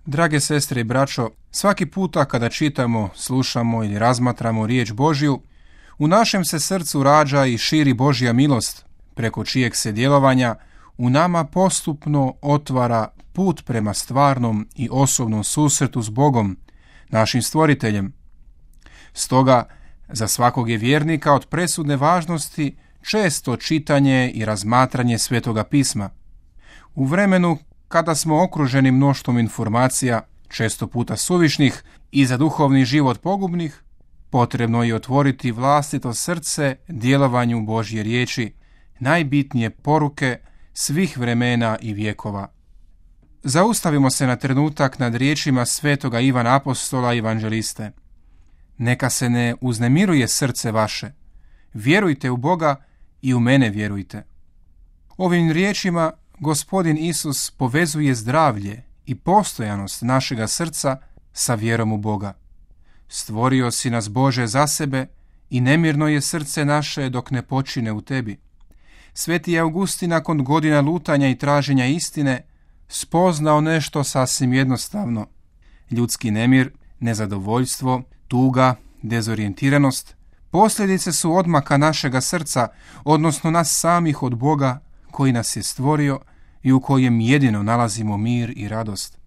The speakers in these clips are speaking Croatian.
Drage sestre i braćo, svaki puta kada čitamo, slušamo ili razmatramo riječ Božju, u našem se srcu rađa i širi Božja milost, preko čijeg se djelovanja u nama postupno otvara put prema stvarnom i osobnom susretu s Bogom, našim stvoriteljem. Stoga, za svakog je vjernika od presudne važnosti često čitanje i razmatranje Svetoga pisma. U vremenu kada smo okruženi mnoštvom informacija, često puta suvišnih i za duhovni život pogubnih, potrebno je otvoriti vlastito srce djelovanju Božje riječi, najbitnije poruke svih vremena i vjekova. Zaustavimo se na trenutak nad riječima svetoga Ivana Apostola i evanđeliste. Neka se ne uznemiruje srce vaše. Vjerujte u Boga i u mene vjerujte. Ovim riječima Gospodin Isus povezuje zdravlje i postojanost našega srca sa vjerom u Boga. Stvorio si nas, Bože, za sebe i nemirno je srce naše dok ne počine u tebi. Sveti Augustin nakon godina lutanja i traženja istine spoznao nešto sasvim jednostavno. Ljudski nemir, nezadovoljstvo, tuga, dezorijentiranost posljedice su odmaka našega srca, odnosno nas samih od Boga koji nas je stvorio i u kojem jedino nalazimo mir i radost.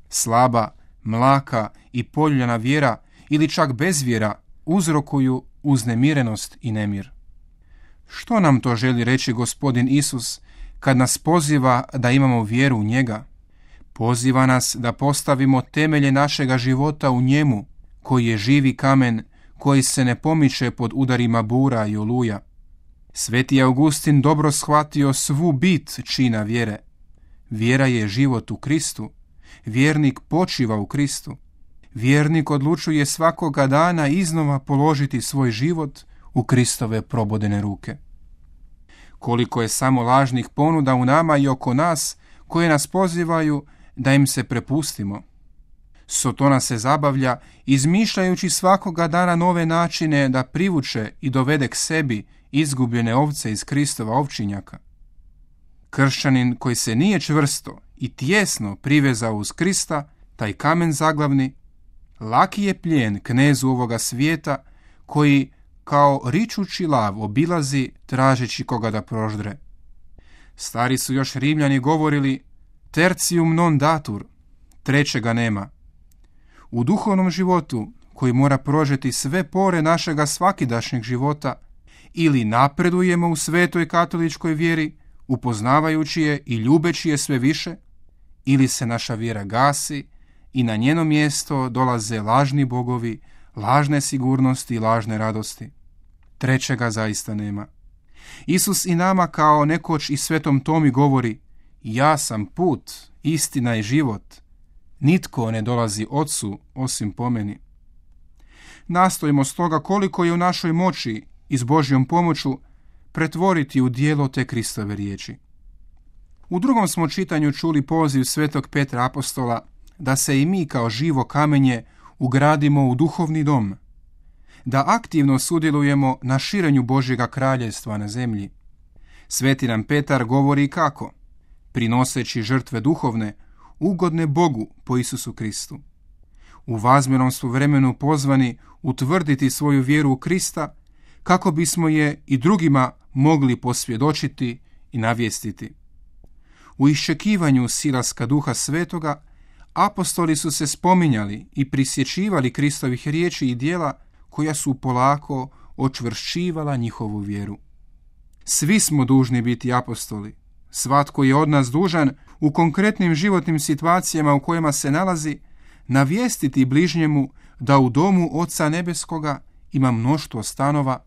Slaba, mlaka i poljuljana vjera ili čak bezvjera uzrokuju uznemirenost i nemir. Što nam to želi reći Gospodin Isus kad nas poziva da imamo vjeru u njega? Poziva nas da postavimo temelje našega života u njemu, koji je živi kamen, koji se ne pomiče pod udarima bura i oluja. Sveti Augustin dobro shvatio svu bit čina vjere. Vjera je život u Kristu. Vjernik počiva u Kristu. Vjernik odlučuje svakoga dana iznova položiti svoj život u Kristove probodene ruke. Koliko je samo lažnih ponuda u nama i oko nas koje nas pozivaju da im se prepustimo. Sotona se zabavlja izmišljajući svakoga dana nove načine da privuče i dovede k sebi izgubljene ovce iz Kristova ovčinjaka. Kršćanin koji se nije čvrsto i tijesno privezao uz Krista, taj kamen zaglavni, laki je plijen knezu ovoga svijeta koji kao ričući lav obilazi tražeći koga da proždre. Stari su još Rimljani govorili tertium non datur, trećega nema. U duhovnom životu koji mora prožeti sve pore našega svakidašnjeg života, ili napredujemo u svetoj katoličkoj vjeri, upoznavajući je i ljubeći je sve više, ili se naša vjera gasi i na njeno mjesto dolaze lažni bogovi, lažne sigurnosti i lažne radosti. Trećega zaista nema. Isus i nama kao nekoć i Svetom Tomi govori: ja sam put, istina i život. Nitko ne dolazi Otcu osim po meni. Nastojimo stoga koliko je u našoj moći i s Božjom pomoću pretvoriti u djelo te Kristove riječi. U drugom smo čitanju čuli poziv Svetog Petra Apostola da se i mi kao živo kamenje ugradimo u duhovni dom, da aktivno sudjelujemo na širenju Božjega kraljevstva na zemlji. Sveti nam Petar govori kako, prinoseći žrtve duhovne, ugodne Bogu po Isusu Kristu. U vazmjernom su vremenu pozvani utvrditi svoju vjeru u Krista kako bismo je i drugima mogli posvjedočiti i navijestiti. U iščekivanju silaska Duha Svetoga apostoli su se spominjali i prisjećivali Kristovih riječi i djela koja su polako očvršćivala njihovu vjeru. Svi smo dužni biti apostoli. Svatko je od nas dužan u konkretnim životnim situacijama u kojima se nalazi navijestiti bližnjemu da u domu Oca Nebeskoga ima mnoštvo stanova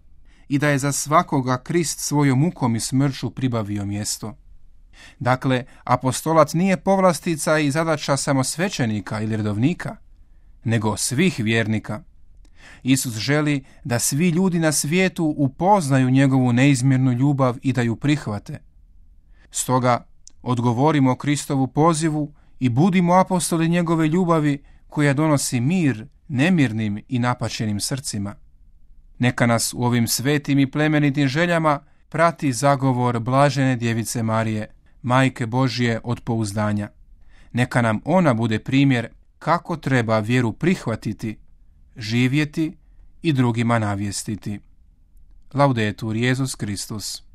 i da je za svakoga Krist svojom mukom i smrću pribavio mjesto. Dakle, apostolac nije povlastica i zadaća samo svećenika ili redovnika, nego svih vjernika. Isus želi da svi ljudi na svijetu upoznaju njegovu neizmjernu ljubav i da ju prihvate. Stoga, odgovorimo Kristovu pozivu i budimo apostoli njegove ljubavi koja donosi mir nemirnim i napaćenim srcima. Neka nas u ovim svetim i plemenitim željama prati zagovor blažene djevice Marije, Majke Božje od pouzdanja. Neka nam ona bude primjer kako treba vjeru prihvatiti, živjeti i drugima navijestiti. Laudetur Jesus Kristus.